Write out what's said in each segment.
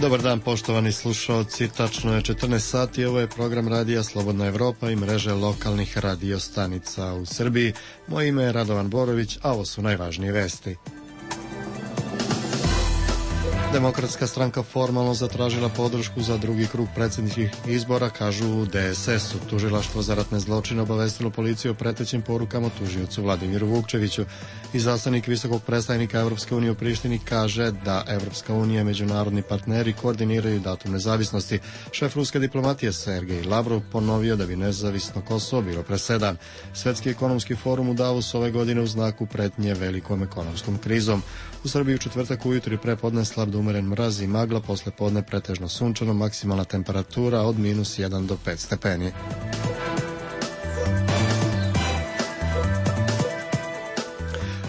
Dobar dan, poštovani slušalci, tačno je 14 sati, ovo je program radija Slobodna Evropa i mreže lokalnih radiostanica u Srbiji. Moje ime je Radovan Borović, a ovo su najvažnije vesti. Demokratska stranka formalno zatražila podršku za drugi krug predsjedničkih izbora, kažu u DSS-u. Tužilaštvo za ratne zločine obavestilo policiju o pretećim porukama tužiocu Vladimiru Vukčeviću. Izaslanik visokog predstavnika Evropske unije u Prištini kaže da Evropska unija i međunarodni partneri koordiniraju datum nezavisnosti. Šef ruske diplomatije Sergej Lavrov ponovio da bi nezavisno Kosovo bilo presedan. Svetski ekonomski forum u Davosu ove godine u znaku pretnje velikom ekonomskom krizom. U Srbiji u četvrtak ujutro i prepodne slab do umeren mraz i magla, posle podne pretežno sunčano, maksimalna temperatura od -1 do 5 stepeni.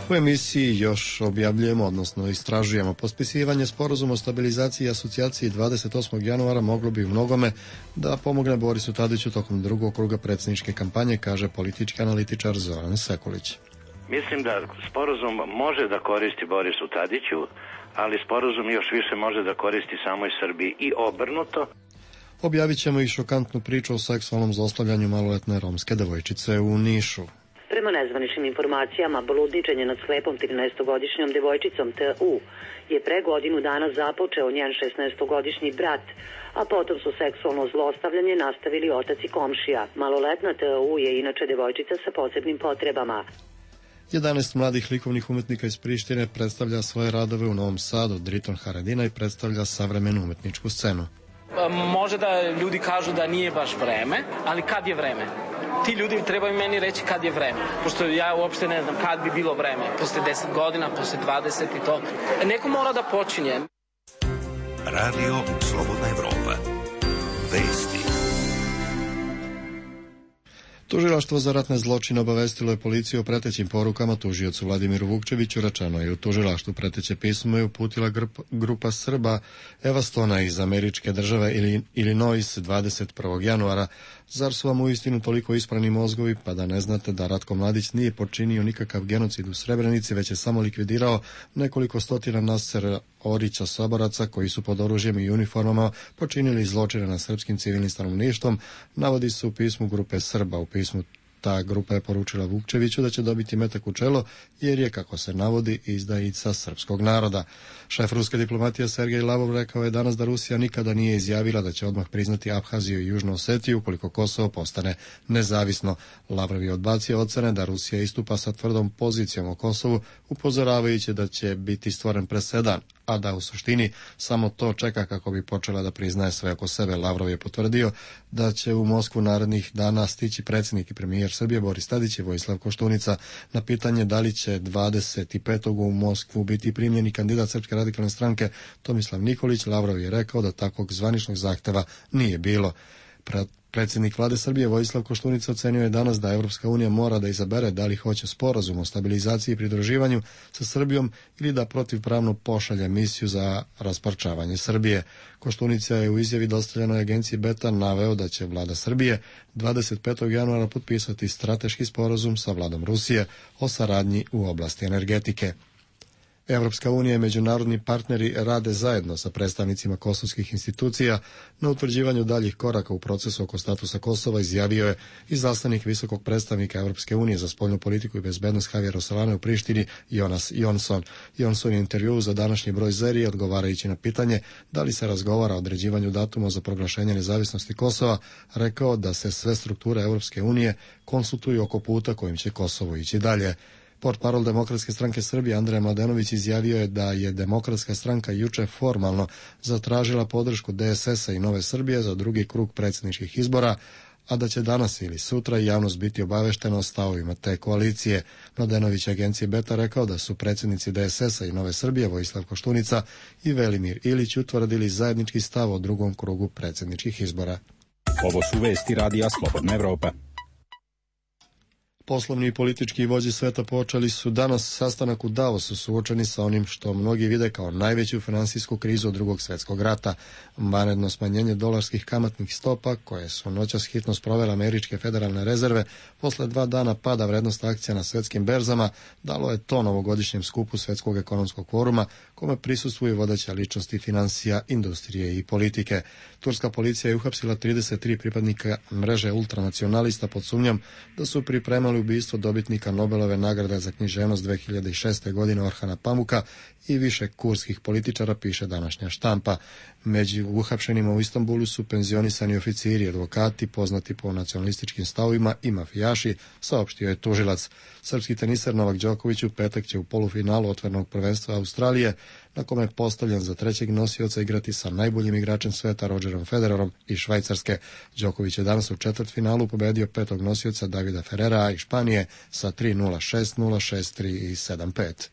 U emisiji još objavljujemo, odnosno istražujemo potpisivanje sporazuma o stabilizaciji i asocijaciji 28. januara moglo bi u mnogome da pomogne Borisu Tadiću tokom drugog kruga predsjedničke kampanje, kaže politički analitičar Zoran Sekulić. Mislim da sporazum može da koristi Borisu Tadiću, ali sporazum još više može da koristi samoj Srbiji i obrnuto. Objavit ćemo i šokantnu priču o seksualnom zlostavljanju maloletne romske devojčice u Nišu. Prema nezvaničnim informacijama, bludničenje nad slepom 13-godišnjom devojčicom T.U. je pre godinu dana započeo njen 16-godišnji brat, a potom su seksualno zlostavljanje nastavili otac i komšija. Maloletna T.U. je inače devojčica sa posebnim potrebama. 11 mladih likovnih umetnika iz Prištine predstavlja svoje radove u Novom Sadu, Driton Haradina, i predstavlja savremenu umetničku scenu. Može da ljudi kažu da nije baš vreme, ali kad je vreme? Ti ljudi trebaju meni reći kad je vreme, pošto ja uopšte ne znam kad bi bilo vreme, posle 10 godina, posle 20 i to. Neko mora da počinje. Radio Slobodna Evropa. Vesti. Tužilaštvo za ratne zločine obavestilo je policiju o pretećim porukama tužiocu Vladimiru Vukčeviću. Rečeno je u tužilaštvu preteće pismo je uputila grupa Srba Evastona iz američke države Illinois 21. januara. Zar su vam uistinu toliko isprani mozgovi, pa da ne znate da Ratko Mladić nije počinio nikakav genocid u Srebrenici, već je samo likvidirao nekoliko stotina Nasera Orića saboraca koji su pod oružjem i uniformama počinili zločine nad srpskim civilnim stanovništvom, navodi se u pismu grupe Srba. U pismu ta grupa je poručila Vukčeviću da će dobiti metak u čelo, jer je, kako se navodi, izdajica srpskog naroda. Šef ruske diplomatije Sergej Lavrov rekao je danas da Rusija nikada nije izjavila da će odmah priznati Abhaziju i Južnu Osetiju ukoliko Kosovo postane nezavisno. Lavrov je odbacio ocene da Rusija istupa sa tvrdom pozicijom o Kosovu, upozoravajući da će biti stvoren presedan, a da u suštini samo to čeka kako bi počela da priznaje sve oko sebe. Lavrov je potvrdio da će u Moskvu narednih dana stići predsjednik i premijer Srbije Boris Tadić i Vojislav Koštunica. Na pitanje da li će 25. u Moskvu biti primljeni kandidat Srpske radikalne stranke Tomislav Nikolić, Lavrov je rekao da takvog zvaničnog zahteva nije bilo. Predsjednik vlade Srbije Vojislav Koštunica ocenio je danas da Evropska unija mora da izabere da li hoće sporazum o stabilizaciji i pridruživanju sa Srbijom ili da protivpravno pošalje misiju za rasparčavanje Srbije. Koštunica je u izjavi dostavljenoj agenciji Beta naveo da će vlada Srbije 25. januara potpisati strateški sporazum sa vladom Rusije o saradnji u oblasti energetike. Evropska unija i međunarodni partneri rade zajedno sa predstavnicima kosovskih institucija na utvrđivanju daljih koraka u procesu oko statusa Kosova, izjavio je izaslanik visokog predstavnika Evropske unije za spoljnu politiku i bezbednost Javier Solana u Prištini Jonas Jonsson. Jonsson je intervju za današnji broj Zerije, odgovarajući na pitanje da li se razgovara o određivanju datuma za proglašenje nezavisnosti Kosova, rekao da se sve strukture Evropske unije konsultuju oko puta kojim će Kosovo ići dalje. Portparol Demokratske stranke Srbije Andrej Mladenović izjavio je da je Demokratska stranka juče formalno zatražila podršku DSS-a i Nove Srbije za drugi krug predsjedničkih izbora, a da će danas ili sutra javnost biti obaveštena o stavovima te koalicije. Mladenović agencije Beta rekao da su predsjednici DSS-a i Nove Srbije Vojislav Koštunica i Velimir Ilić utvrdili zajednički stav o drugom krugu predsjedničkih izbora. Ovo su vesti radija Slobodna Evropa. Poslovni i politički vođe sveta počeli su danas sastanak u Davosu suočeni sa onim što mnogi vide kao najveću finansijsku krizu od Drugog svjetskog rata. Vanredno smanjenje dolarskih kamatnih stopa, koje su noćas hitno sprovele američke federalne rezerve, posle 2 dana pada vrednost akcija na svetskim berzama, dalo je to novogodišnjem skupu Svjetskog ekonomskog foruma, kome prisustvuju vodeće ličnosti finansija, industrije i politike. Turska policija je uhapsila 33 pripadnika mreže ultranacionalista pod sumnjom da su pripremali ubistvo dobitnika Nobelove nagrade za književnost 2006. godine Orhana Pamuka i više kurskih političara, piše današnja štampa. Među uhapšenima u Istanbulu su penzionisani oficiri, advokati, poznati po nacionalističkim stavovima i mafijaši, saopštio je tužilac. Srpski teniser Novak Đoković u petak će u polufinalu otvorenog prvenstva Australije, na kome je postavljen za trećeg nosioca, igrati sa najboljim igračem sveta Rodgerom Federerom iz Švajcarske. Đoković je danas u četvrtfinalu pobedio petog nosioca Davida Ferrera iz Španije sa 3-0, 6-0, 6-3 i 7-5.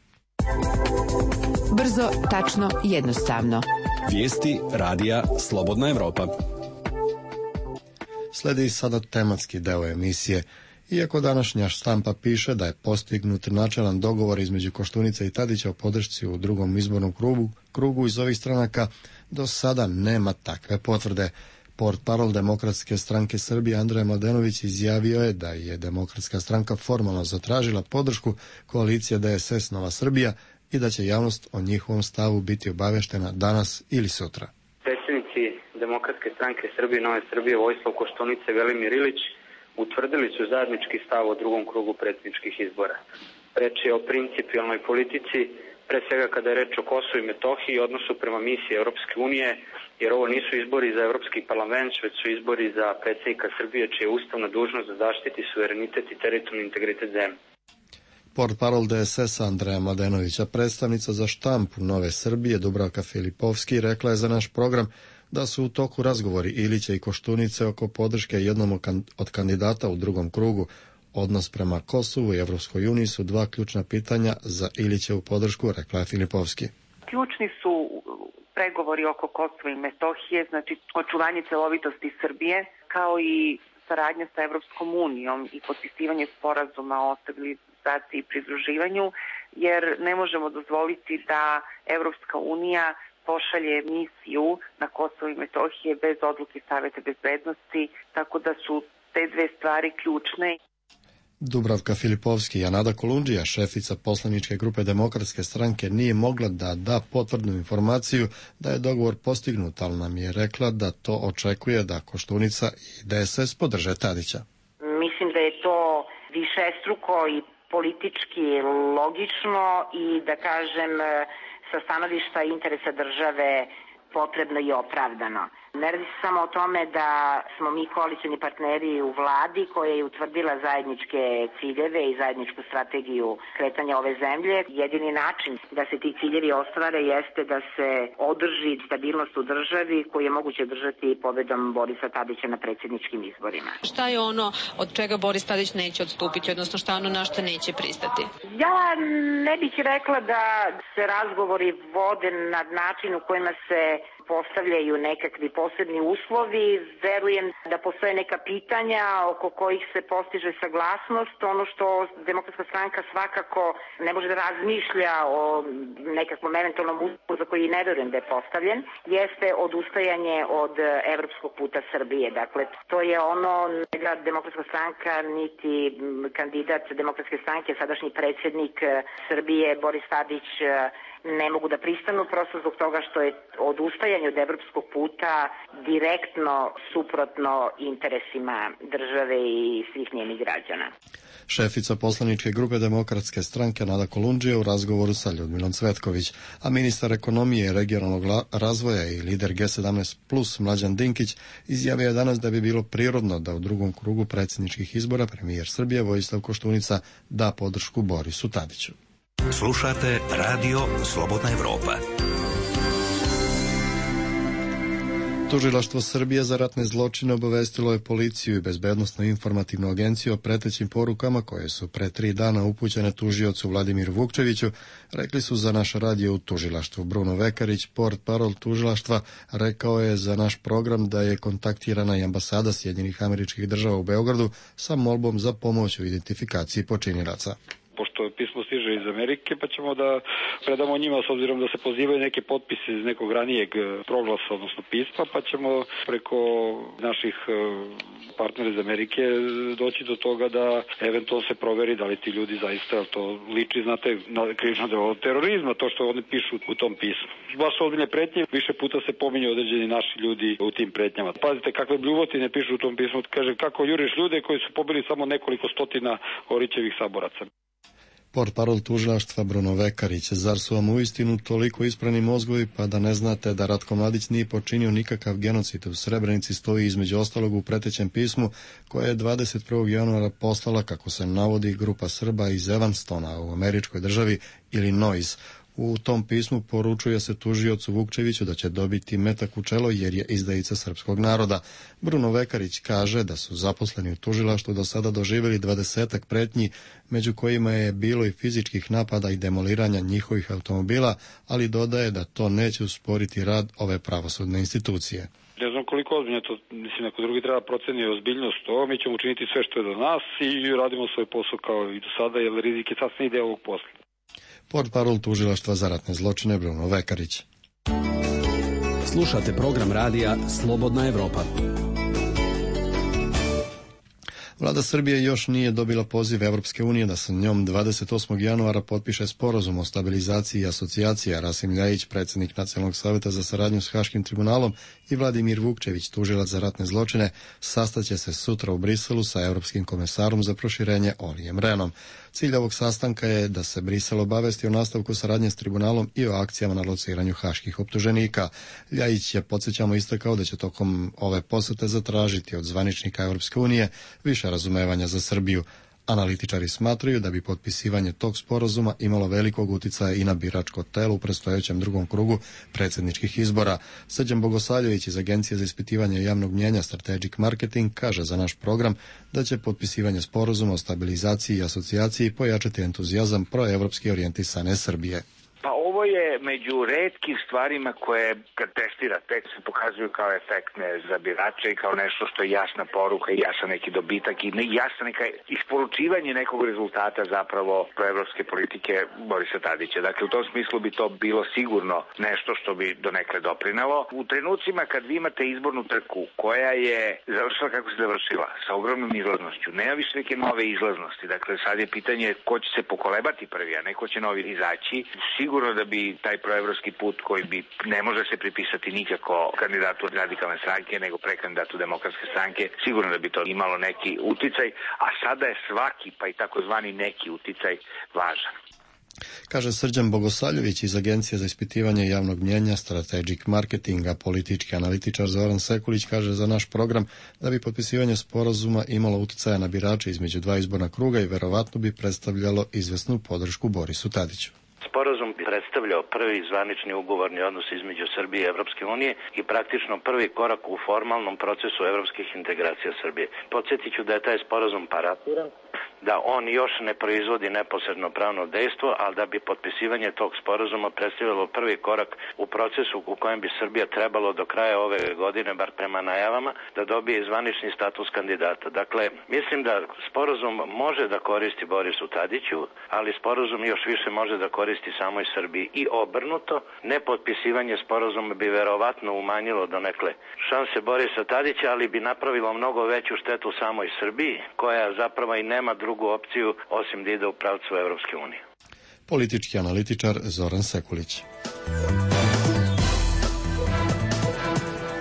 Brzo, tačno, jednostavno. Vijesti radija Slobodna Evropa. Sledi sada tematski deo emisije. Iako današnja štampa piše da je postignut načelan dogovor između Koštunice i Tadića o podršci u drugom izbornom krugu iz ovih stranaka, do sada nema takve potvrde. Portparol Demokratske stranke Srbije Andrej Mladenović izjavio je da je Demokratska stranka formalno zatražila podršku koalicije DSS Nova Srbija i da će javnost o njihovom stavu biti obaveštena danas ili sutra. Predsjednici Demokratske stranke Srbije Nove Srbije Vojislav Koštunica i Velimir Ilić utvrdili su zajednički stav o drugom krugu predsjedničkih izbora. Reč je o principijalnoj politici, pre svega kada je reč o Kosovu i Metohiji i odnosu prema misiji Europske unije, jer ovo nisu izbori za Evropski parlament, već su izbori za predsjednika Srbije, čija je ustavna dužnost da zaštiti suverenitet i teritorijalni integritet zemlje. Portparol DSS Andreja Mladenovića, predstavnica za štampu Nove Srbije Dubravka Filipovski, rekla je za naš program da su u toku razgovori Ilića i Koštunice oko podrške jednom od kandidata u drugom krugu. Odnos prema Kosovu i Evropskoj uniji su dva ključna pitanja za Ilićevu podršku, rekla je Filipovski. Ključni su pregovori oko Kosova i Metohije, znači očuvanje celovitosti Srbije, kao i saradnja sa Evropskom unijom i potpisivanje sporazuma o stabilizaciji i pridruživanju, jer ne možemo dozvoliti da Evropska unija pošalje misiju na Kosovo i Metohije bez odluke Saveta bezbednosti, tako da su te dve stvari ključne. Dubravka Filipovski i Nada Kolundžija, šefica poslaničke grupe Demokratske stranke, nije mogla da da potvrdnu informaciju da je dogovor postignut, ali nam je rekla da to očekuje da Koštunica i DSS podrže Tadića. Mislim da je to višestruko i politički logično i da kažem sa stanovišta interesa države potrebno i opravdano. Ne radi se samo o tome da smo mi koalicioni partneri u vladi koja je utvrdila zajedničke ciljeve i zajedničku strategiju kretanja ove zemlje. Jedini način da se ti ciljevi ostvare jeste da se održi stabilnost u državi koju je moguće održati pobedom Borisa Tadića na predsjedničkim izborima. Šta je ono od čega Boris Tadić neće odstupiti, odnosno šta ono na što neće pristati? Ja ne bih rekla da se razgovori vode na način u kojima se postavljaju nekakvi posebni uslovi. Verujem da postoje neka pitanja oko kojih se postiže saglasnost. Ono što Demokratska stranka svakako ne može da razmišlja o nekakvom eventualnom uslovu za koji ne verujem da je postavljen, jeste odustajanje od evropskog puta Srbije. Dakle, to je ono da Demokratska stranka niti kandidat Demokratske stranke, sadašnji predsjednik Srbije Boris Tadić, ne mogu da pristanu prosto zbog toga što je odustajanje od evropskog puta direktno suprotno interesima države i svih njenih građana. Šefica poslaničke grupe Demokratske stranke Nada Kolundžija u razgovoru sa Ljudmilom Cvetković, a ministar ekonomije i regionalnog razvoja i lider G17 plus Mlađan Dinkić izjavio je danas da bi bilo prirodno da u drugom krugu predsjedničkih izbora premijer Srbije Vojislav Koštunica da podršku Borisu Tadiću. Slušate Radio Slobodna Evropa. Tužilaštvo Srbije za ratne zločine obavestilo je policiju i bezbednosnu informativnu agenciju o pretećim porukama koje su pre 3 dana upućene tužiocu Vladimiru Vukčeviću, rekli su za naš radio u tužilaštvu. Bruno Vekarić, portparol tužilaštva, rekao je za naš program da je kontaktirana i ambasada Sjedinjenih Američkih Država u Beogradu sa molbom za pomoć u identifikaciji počinilaca. Pošto pismo stiže iz Amerike, pa ćemo da predamo njima, s obzirom da se pozivaju neke potpise iz nekog ranijeg proglasa, odnosno pisma, pa ćemo preko naših partnera iz Amerike doći do toga da eventualno se proveri da li ti ljudi zaista to liči, znate, na krivično delo terorizma, to što oni pišu u tom pismu. Baš su ozbiljne pretnje, više puta se pominju određeni naši ljudi u tim pretnjama. Pazite kakve bljuvotine pišu u tom pismu, kaže kako juriš ljude koji su pobili samo nekoliko stotina Orićevih saboraca. Portparol tužilaštva Bruno Vekarić, zar su vam uistinu toliko isprani mozgovi pa da ne znate da Ratko Mladić nije počinio nikakav genocid u Srebrenici, stoji između ostalog u pretećem pismu koje je 21. januara poslala, kako se navodi, grupa Srba iz Evanstona u američkoj državi Illinois. U tom pismu poručuje se tužiocu Vukčeviću da će dobiti metak u čelo jer je izdajica srpskog naroda. Bruno Vekarić kaže da su zaposleni u tužilaštvu do sada doživjeli 20-ak pretnji, među kojima je bilo i fizičkih napada i demoliranja njihovih automobila, ali dodaje da to neće usporiti rad ove pravosudne institucije. Ne znam koliko ozbiljno to, mislim, neko drugi treba proceni ozbiljnost to, mi ćemo učiniti sve što je do nas i radimo svoj posao kao i do sada, jer rizik je sasvim ide ovog posla. Portparol tužilaštva za ratne zločine Bruno Vekarić. Slušate program radija Slobodna Evropa. Vlada Srbije još nije dobila poziv Evropske unije da sa njom 28. januara potpiše sporazum o stabilizaciji i asocijaciji, a Rasim Ljajić, predsjednik Nacionalnog savjeta za saradnju s Haškim tribunalom, i Vladimir Vukčević, tužilac za ratne zločine, sastaće se sutra u Briselu sa Europskim komesarom za proširenje Olijem Rehnom. Cilj ovog sastanka je da se Brisel obavesti o nastavku saradnje s tribunalom i o akcijama na lociranju haških optuženika. Ljajić je, podsjećamo, istakao da će tokom ove posete zatražiti od zvaničnika Europske unije više razumevanja za Srbiju. Analitičari smatraju da bi potpisivanje tog sporazuma imalo velikog uticaja i na biračko telo u predstojećem drugom krugu predsjedničkih izbora. Srđan Bogosavljević iz Agencije za ispitivanje javnog mnjenja Strategic Marketing kaže za naš program da će potpisivanje sporazuma o stabilizaciji i asocijaciji pojačati entuzijazam proevropski orijentisane Srbije. Pa ovo je među retkim stvarima koje, kad testira tekst, se pokazuju kao efektne za birače i kao nešto što je jasna poruka i jasan neki dobitak i jasna neka isporučivanje nekog rezultata zapravo proevropske politike Borisa Tadića. Dakle, u tom smislu bi to bilo sigurno nešto što bi donekle doprinelo. U trenucima kad vi imate izbornu trku koja je završila kako se završila, sa ogromnom izlaznošću, nema više neke nove izlaznosti. Dakle, sad je pitanje ko će se pokolebati prvi, a neko će novi izaći. Sigurno da bi taj proevropski put koji bi ne može se pripisati nikako kandidatu radikalne stranke nego prekandidatu demokratske stranke, sigurno da bi to imalo neki uticaj, a sada je svaki pa i takozvani neki uticaj važan. Kaže Srđan Bogosavljević iz Agencije za ispitivanje javnog mnjenja Strategic Marketinga. Politički analitičar Zoran Sekulić kaže za naš program da bi potpisivanje sporazuma imalo uticaja na birače između dva izborna kruga i verovatno bi predstavljalo izvesnu podršku Borisu Tadiću. Sporazum bi predstavljao prvi zvanični ugovorni odnos između Srbije i Evropske unije i praktično prvi korak u formalnom procesu evropskih integracija Srbije. Podsjetit ću da je taj sporazum parafirан, da on još ne proizvodi neposredno pravno dejstvo, ali da bi potpisivanje tog sporazuma predstavljalo prvi korak u procesu u kojem bi Srbija trebalo do kraja ove godine, bar prema najavama, da dobije zvanični status kandidata. Dakle, mislim da sporazum može da koristi Borisu Tadiću, ali sporazum još više može da koristi samoj Srbiji i obrnuto. Nepotpisivanje sporazuma bi verovatno umanjilo donekle šanse Borisa Tadića, ali bi napravilo mnogo veću štetu samoj Srbiji, koja zapravo i nema drugu opciju osim da ide u pravcu Evropske unije. Politički analitičar Zoran Sekulić.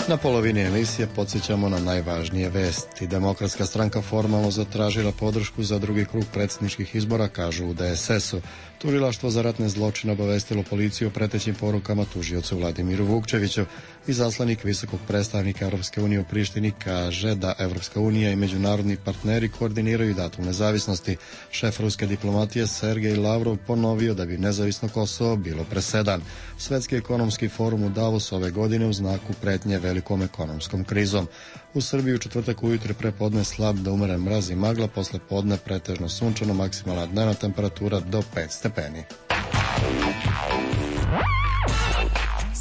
Na polovini emisije podsjećamo na najvažnije vesti. Demokratska stranka formalno zatražila podršku za drugi krug predsjedničkih izbora, kažu u DSS-u. Tužilaštvo za ratne zločine obavestilo policiju o pretećim porukama tužiocu Vladimiru Vukčeviću. Izaslanik visokog predstavnika Europske unije u Prištini kaže da Europska unija i međunarodni partneri koordiniraju datum nezavisnosti. Šef ruske diplomatije Sergej Lavrov ponovio da bi nezavisno Kosovo bilo presedan. Svetski ekonomski forum u Davosu ove godine u znaku pretnje velikom ekonomskom krizom. U Srbiji u četvrtak ujutro prepodne slab do umeren mraz i magla, posle podne pretežno sunčano, maksimalna dnevna temperatura do 5 stepeni.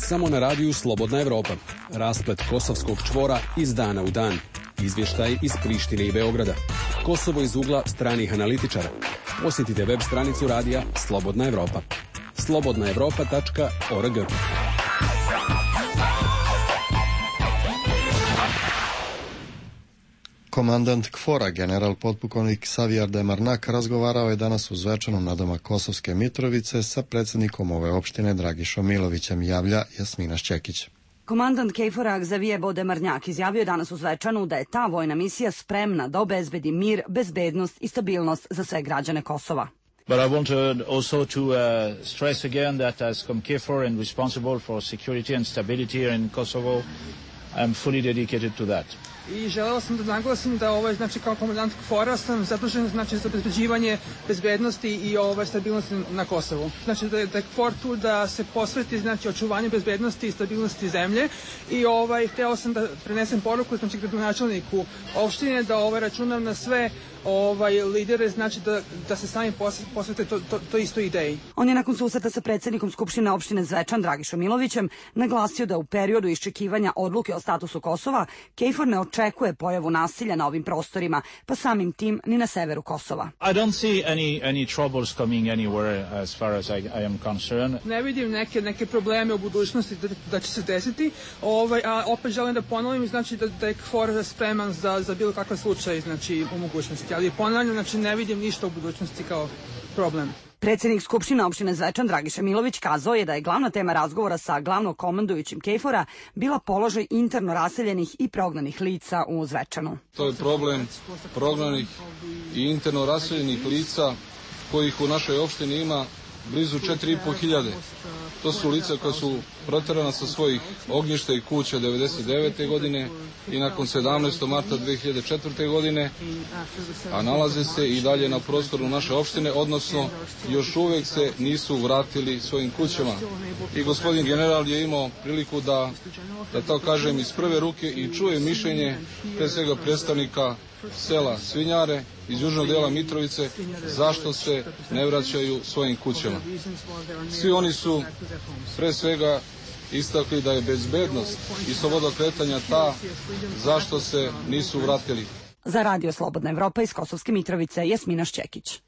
Samo na radiju Slobodna Evropa. Rasplet kosovskog čvora iz dana u dan. Izvještaj iz Prištine i Beograda. Kosovo iz ugla stranih analitičara. Posjetite web stranicu radija Slobodna Evropa. slobodnaevropa.org. Komandant KFOR-a, general potpukovnik Savijar Demarnak, razgovarao je danas u Zvečanu nadomak Kosovske Mitrovice sa predsjednikom ove opštine Dragišom Milovićem, javlja Jasmina Šćekić. Komandant KFOR-a Xavier Demarnjak izjavio je danas u Zvečanu da je ta vojna misija spremna da obezbedi mir, bezbednost i stabilnost za sve građane Kosova. But I want also to stress again that as KFOR and responsible for security and stability here in Kosovo, I am fully dedicated to that. I želeo sam da naglasim da znači kao komandant KFOR-a sam zadužen znači za obezbeđivanje bezbednosti i stabilnosti na Kosovu. Znači da je KFOR tu da se posveti znači očuvanju bezbednosti i stabilnosti zemlje i hteo sam da prenesem poruku znači gradonačelniku opštine da računam na sve lidere, znači da se sami posvete to isto ideji. On je nakon susreta sa predsjednikom Skupštine opštine Zvečan Dragišom Milovićem naglasio da u periodu iščekivanja odluke o statusu Kosova KFOR ne očekuje pojavu nasilja na ovim prostorima, pa samim tim ni na severu Kosova. I don't see any troubles coming anywhere as far as I am concerned. Ne vidim neke probleme u budućnosti da će se desiti, a opet želim da ponovim znači da je KFOR spreman za bilo kakav slučaj znači u mogućnosti. Ali ponavljam, znači ne vidim ništa u budućnosti kao problem. Predsjednik Skupštine opštine Zvečan Dragiša Milović kazao je da je glavna tema razgovora sa glavnokomandujućim KFOR-a bila položaj interno raseljenih i prognanih lica u Zvečanu. To je problem prognanih i interno raseljenih lica kojih u našoj opštini ima blizu 4.500. To su lica koja su proterana sa svojih ognjišta i kuća 1999. godine i nakon 17. marta 2004. godine, a nalaze se i dalje na prostoru naše opštine, odnosno još uvek se nisu vratili svojim kućama. I gospodin general je imao priliku da to kažem iz prve ruke i čuje mišljenje pre svega predstavnika sela Svinjare iz južnog dela Mitrovice zašto se ne vraćaju svojim kućama. Svi oni su pre svega istakli da je bezbednost i sloboda kretanja ta zašto se nisu vratili. Za Radio Slobodna Evropa iz Kosovske Mitrovice, Jasmina Šćekić.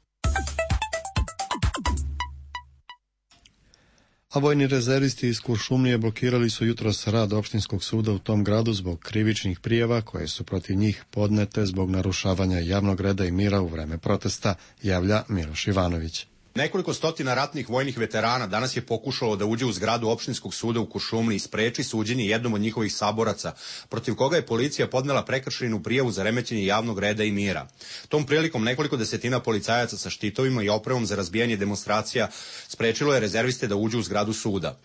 A vojni rezervisti iz Kuršumlije blokirali su jutros rad opštinskog suda u tom gradu zbog krivičnih prijava koje su protiv njih podnete zbog narušavanja javnog reda i mira u vreme protesta, javlja Miloš Ivanović. Nekoliko stotina ratnih vojnih veterana danas je pokušalo da uđe u zgradu opštinskog suda u Kuršumliji i spreči suđenje jednom od njihovih saboraca, protiv koga je policija podnela prekršajnu prijavu za remećenje javnog reda i mira. Tom prilikom nekoliko desetina policajaca sa štitovima i opremom za razbijanje demonstracija sprečilo je rezerviste da uđu u zgradu suda.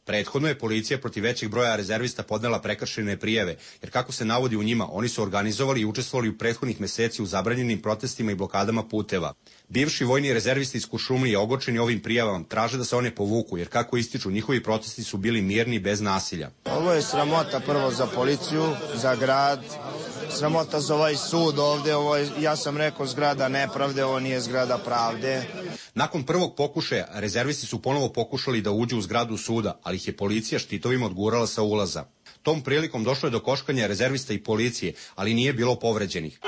Prethodno je policija protiv većeg broja rezervista podnela prekršajne prijave, jer kako se navodi u njima, oni su organizovali i učestvovali u prethodnih meseci u zabranjenim protestima i blokadama puteva. Bivši vojni rezervisti iz Kuršumlije ogorčeni ovim prijavama traže da se one povuku, jer kako ističu, njihovi protesti su bili mirni bez nasilja. Ovo je sramota prvo za policiju, za grad, sramota za ovaj sud ovde, ovo je, ja sam rekao, zgrada nepravde, ovo nije zgrada pravde. Nakon prvog pokušaja, rezervisti su ponovo pokušali da uđu u zgradu suda, ali ih je policija štitovima odgurala sa ulaza. Tom prilikom došlo je do koškanja rezervista i policije, ali nije bilo povređenih.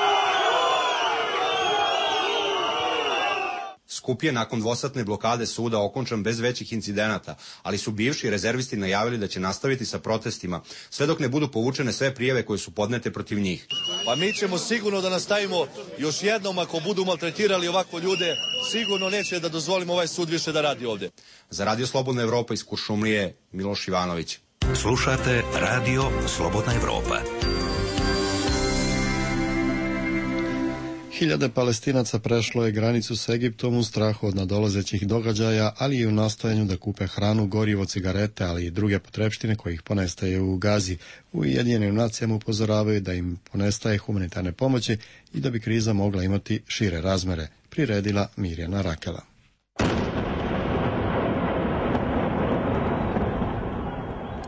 Skup je nakon dvosatne blokade suda okončan bez većih incidenata, ali su bivši rezervisti najavili da će nastaviti sa protestima, sve dok ne budu povučene sve prijave koje su podnete protiv njih. Pa mi ćemo sigurno da nastavimo još jednom, ako budu maltretirali ovako ljude, sigurno neće da dozvolimo ovaj sud više da radi ovde. Za Radio Slobodna Evropa iz Kuršumlije, Miloš Ivanović. Slušate Radio Slobodna Evropa. Hiljade Palestinaca prešlo je granicu s Egiptom u strahu od nadolazećih događaja, ali i u nastojanju da kupe hranu, gorivo, cigarete, ali i druge potrepštine kojih ponestaje u Gazi. U Ujedinjenim nacijama upozoravaju da im ponestaje humanitarne pomoći i da bi kriza mogla imati šire razmere, priredila Mirjana Rakela.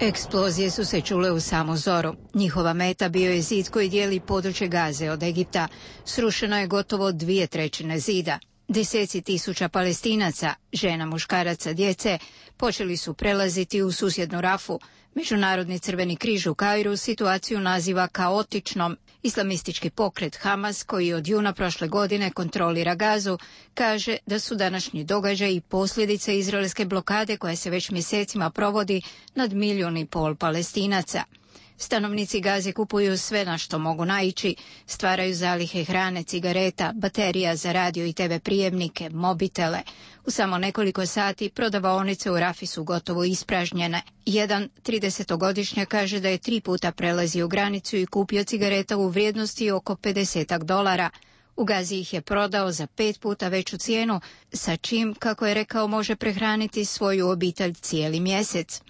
Eksplozije su se čule u samu zoru. Njihova meta bio je zid koji dijeli područje Gaze od Egipta. Srušeno je gotovo 2/3 zida. Deseci tisuća Palestinaca, žena, muškaraca, djece, počeli su prelaziti u susjednu Rafu. Međunarodni Crveni križ u Kairu situaciju naziva kaotičnom. Islamistički pokret Hamas, koji od juna prošle godine kontrolira Gazu, kaže da su današnji događaji posljedice izraelske blokade koja se već mjesecima provodi nad 1,5 milijuna Palestinaca. Stanovnici Gaze kupuju sve na što mogu naići, stvaraju zalihe hrane, cigareta, baterija za radio i TV prijemnike, mobitele. U samo nekoliko sati prodavaonice u Rafi su gotovo ispražnjene. Jedan 30-godišnjak kaže da je 3 puta prelazio granicu i kupio cigareta u vrijednosti oko $50. U Gazi ih je prodao za 5 puta veću cijenu, sa čim, kako je rekao, može prehraniti svoju obitelj cijeli mjesec.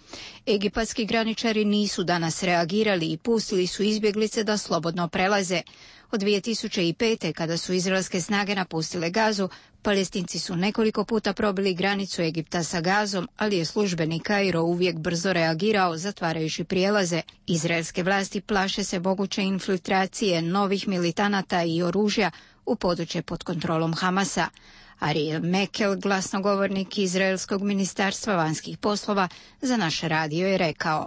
Egipatski graničari nisu danas reagirali i pustili su izbjeglice da slobodno prelaze. Od 2005. kada su izraelske snage napustile Gazu, Palestinci su nekoliko puta probili granicu Egipta sa Gazom, ali je službeni Kairo uvijek brzo reagirao, zatvarajući prijelaze. Izraelske vlasti plaše se moguće infiltracije novih militanata i oružja u područje pod kontrolom Hamasa. Ariel Mekel, glasnogovornik Izraelskog ministarstva vanjskih poslova, za naš radio je rekao: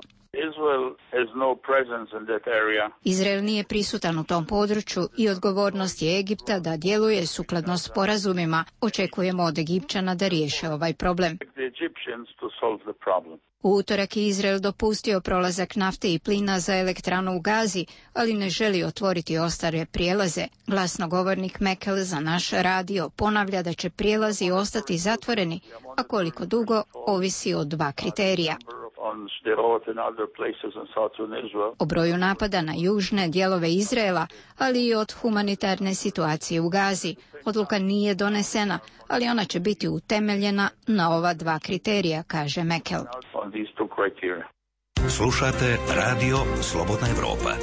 Izrael nije prisutan u tom području i odgovornost je Egipta da djeluje sukladno sporazumima. Očekujemo od Egipćana da riješe ovaj problem. U utorak je Izrael dopustio prolazak nafte i plina za elektranu u Gazi, ali ne želi otvoriti ostale prijelaze. Glasnogovornik Mekel za naš radio ponavlja da će prijelazi ostati zatvoreni, a koliko dugo ovisi od 2 kriterija. O broju napada na južne dijelove Izraela, ali i od humanitarne situacije u Gazi. Odluka nije donesena, ali ona će biti utemeljena na ova 2 kriterija, kaže Mekel. Slušate Radio Slobodna Evropa.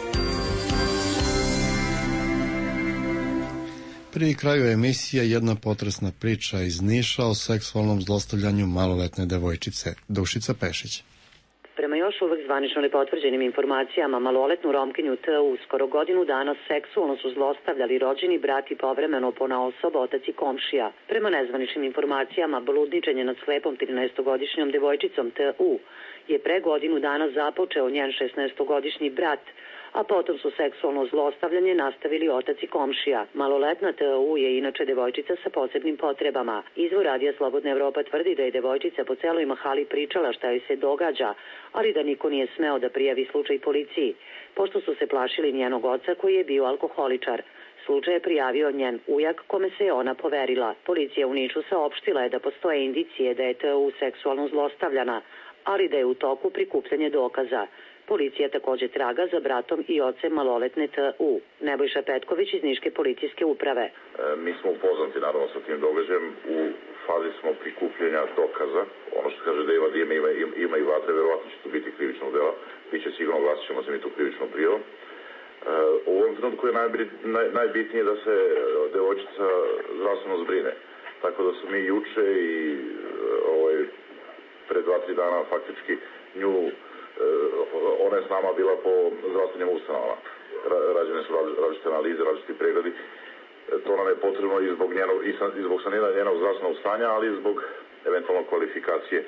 Pri kraju emisije jedna potresna priča iz Niša o seksualnom zlostavljanju maloletne devojčice. Dušica Pešić. Prema još uvek zvanično nepotvrđenim informacijama, maloletnu Romkinju T.U. skoro godinu dana seksualno su zlostavljali rođeni brat i povremeno ponaosob otac i komšija. Prema nezvaničnim informacijama, bludničenje nad slepom 13-godišnjom devojčicom T.U. je pre godinu dana započeo njen 16-godišnji brat, a potom su seksualno zlostavljanje nastavili otac i komšija. Maloletna T.U. je inače devojčica sa posebnim potrebama. Izvor Radija Slobodna Evropa tvrdi da je devojčica po celoj mahali pričala šta joj se događa, ali da niko nije smeo da prijavi slučaj policiji, pošto su se plašili njenog oca koji je bio alkoholičar. Slučaj je prijavio njen ujak kome se je ona poverila. Policija u Nišu saopštila je da postoje indicije da je T.U. seksualno zlostavljana, ali da je u toku prikupljanje dokaza. Policija također traga za bratom i ocem maloletne T.U. Nebojša Petković iz Niške policijske uprave. Mi smo upoznati naravno sa tim događajem, u fazi smo prikupljanja dokaza. Ono što kaže da ima i vatre, verovatno će to biti krivičnog dela. Biće sigurno, glasit ćemo za mi tu krivičnu prijavu. U ovom trenutku je najbitnije da se devojčica zdravstveno zbrine. Tako da su mi juče i pre 2-3 dana faktički nju, ona je s nama bila po zdravstvenim ustanovama. Rađene su različite analize, različiti pregledi. To nam je potrebno i zbog saniranja njenog zdravstvenog stanja, ali i zbog eventualno kvalifikacije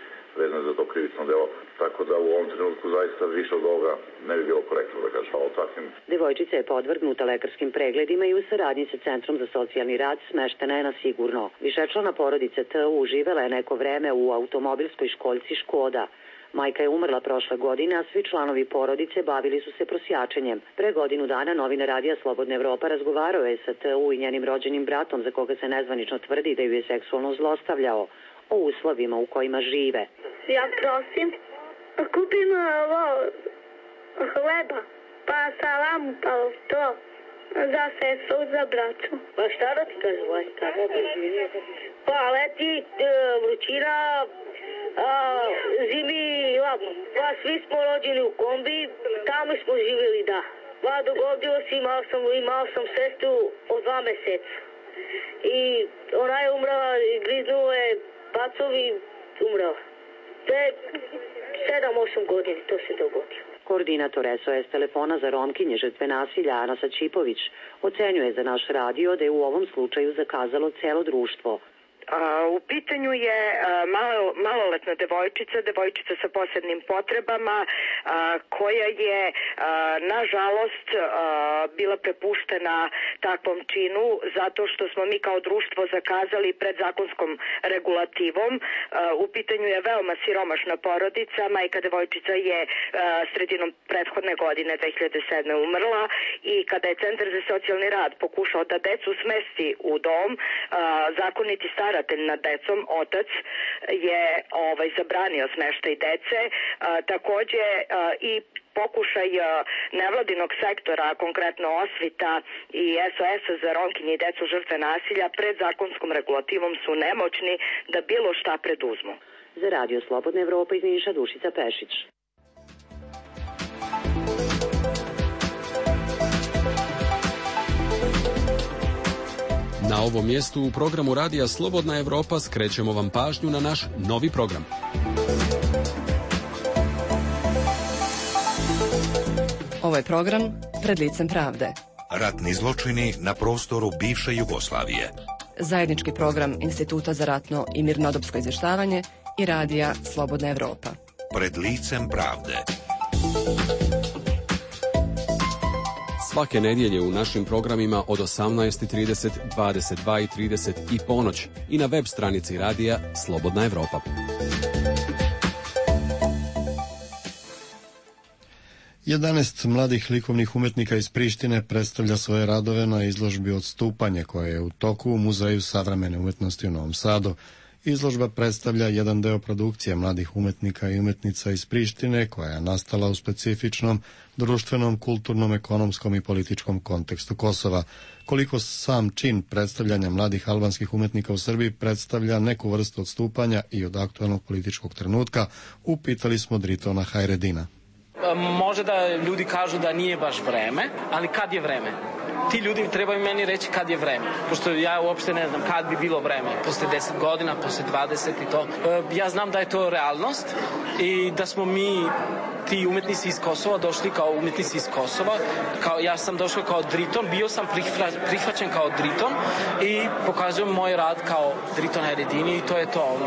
vezane za to krivično delo. Tako da u ovom trenutku zaista više od ovoga ne bi bilo korektno da kažem o takvim. Devojčica je podvrgnuta lekarskim pregledima i u saradnji sa Centrom za socijalni rad smeštena je na sigurno. Višečlana porodica T.U. živela je neko vreme u automobilskoj školjci Škoda. Majka je umrla prošle godine, a svi članovi porodice bavili su se prosjačenjem. Pre godinu dana novina Radija Slobodna Evropa razgovarao je sa T.U. i njenim rođenim bratom, za koga se nezvanično tvrdi da ju je seksualno zlostavljao, o uslovima u kojima žive. Ja prosim, kupim hleba, pa salamu, pa to. Za sestru, za braću. Pa šta da ti kažem, Vajka? Pa leti vrućina, zimi lako. Pa svi smo rođeni u kombi, tamo smo živjeli, da. Pa dogodilo se, imao sam sestru od 2 meseca. I ona je umrela, griznuo je pacovi, umrela. Te 7-8 godina to se dogodilo. Koordinator SOS telefona za Romkinje žrtve nasilja Ana Sačipović ocenjuje za naš radio da je u ovom slučaju zakazalo celo društvo. U pitanju je maloletna devojčica sa posebnim potrebama koja je nažalost bila prepuštena takvom činu zato što smo mi kao društvo zakazali pred zakonskom regulativom. U pitanju je veoma siromašna porodica, majka devojčica je sredinom prethodne godine 2007. umrla i kada je Centar za socijalni rad pokušao da decu smesti u dom, zakoniti staratelj nad decom, otac, je zabranio smeštaj dece. Takođe i pokušaj nevladinog sektora, konkretno Osvita i SOS-a za Romkinje i decu žrtve nasilja pred zakonskom regulativom su nemoćni da bilo šta preduzmu. Za Radio Slobodna Evropa iz Niša Dušica Pešić. Na ovom mjestu u programu Radija Slobodna Evropa skrećemo vam pažnju na naš novi program. Ovo je program Pred licem pravde. Ratni zločini na prostoru bivše Jugoslavije. Zajednički program Instituta za ratno i mirnodopsko izvještavanje i Radija Slobodna Evropa. Pred licem pravde. Svake nedjelje u našim programima od 18:30, 22:30 i ponoć i na web stranici radija Slobodna Evropa. Jedanaest mladih likovnih umjetnika iz Prištine predstavlja svoje radove na izložbi Odstupanje koja je u toku u Muzeju savremene umjetnosti u Novom Sadu. Izložba predstavlja jedan deo produkcije mladih umjetnika i umjetnica iz Prištine koja je nastala u specifičnom društvenom, kulturnom, ekonomskom i političkom kontekstu Kosova. Koliko sam čin predstavljanja mladih albanskih umjetnika u Srbiji predstavlja neku vrstu odstupanja i od aktualnog političkog trenutka, upitali smo Dritona Hajredina. Može da ljudi kažu da nije baš vreme, ali kad je vreme? Ti ljudi trebaju meni reći kad je vreme, pošto ja uopšte ne znam kad bi bilo vreme, posle 10 godina, posle 20 i to. Ja znam da je to realnost i da smo mi, ti umetnici iz Kosova, došli kao umetnici iz Kosova. Ja sam došao kao Driton, bio sam prihvaćen kao Driton i pokazujem moj rad kao Driton Hajredini i to je to.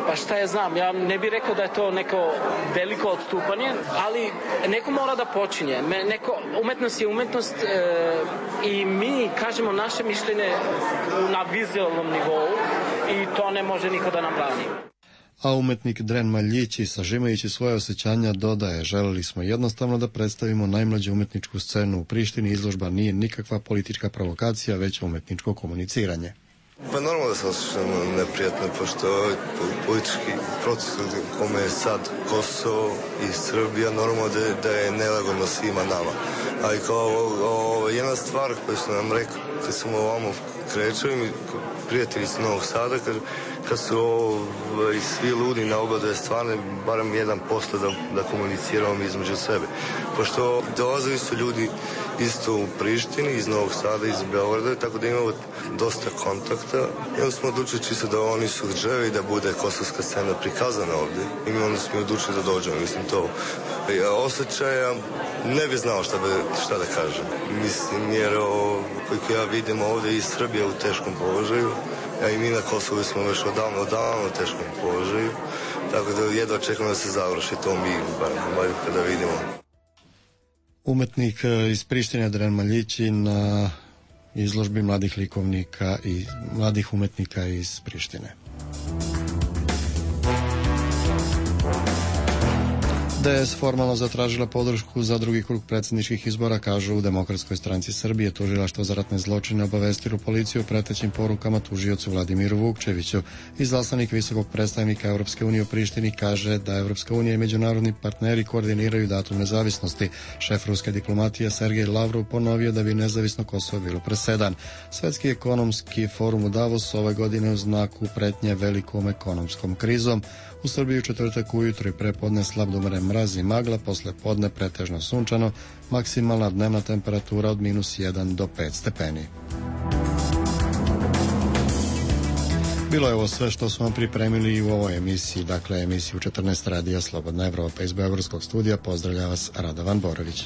Pa šta ja znam, ja ne bih rekao da je to neko veliko odstupanje, ali neko mora da počinje. Umetnost je umetnost i mi kažemo naše mišljenje na vizualnom nivou i to ne može niko da nam brani. A umetnik Dren Maljići, sažimajući svoje osjećanja, dodaje: želeli smo jednostavno da predstavimo najmlađu umetničku scenu u Prištini. Izložba nije nikakva politička provokacija, već umetničko komuniciranje. Pa normalno da se osjećam neprijatno, pošto ovaj politički proces u kome je sad Kosovo i Srbija, normalno da je nelagodno svima nama. Ali kao jedna stvar koju su nam rekli, kad smo ovamo krećali, mi prijatelji iz Novog Sada, kad su svi ludi na oba dve stvarne, barem 1% da komuniciramo između sebe. Pošto dolazili su ljudi isto u Prištini, iz Novog Sada, iz Beograda, tako da imamo dosta kontakta. I onda smo odlučili čisto da oni su želi da bude kosovska scena prikazana ovdje. I mi onda smo odlučili da dođemo, mislim to. Osjećaja ne bi znao šta da kažem. Mislim, jer koliko ja vidim ovdje i Srbija u teškom položaju, a i mi na Kosovu smo već odavno u teškom položaju, tako da jedva čekamo da se završi to mi, bar kada vidimo. Umetnik iz Prištine Dren Maljići na izložbi mladih likovnika i mladih umetnika iz Prištine. DS formalno zatražila podršku za drugi krug predsjedničkih izbora, kažu u Demokratskoj stranci Srbije. Tužilaštvo za ratne zločine obavestilo policiju o pretećim porukama tužiocu Vladimiru Vukčeviću. Izaslanik visokog predstavnika Europske unije u Prištini kaže da Europska unija i međunarodni partneri koordiniraju datum nezavisnosti. Šef ruske diplomatije Sergej Lavrov ponovio da bi nezavisno Kosovo bilo presedan. Svetski ekonomski forum u Davosu ove godine u znaku pretnje velikom ekonomskom krizom. U Srbiji u četvrtak ujutro i prepodne slab do mraz i magla, posle podne pretežno sunčano, maksimalna dnevna temperatura od -1 do 5 stepeni. Bilo je ovo sve što smo vam pripremili u ovoj emisiji, dakle emisiju 14 radija Slobodna Evropa. Iz Beogradskog studija pozdravlja vas Radovan Borović.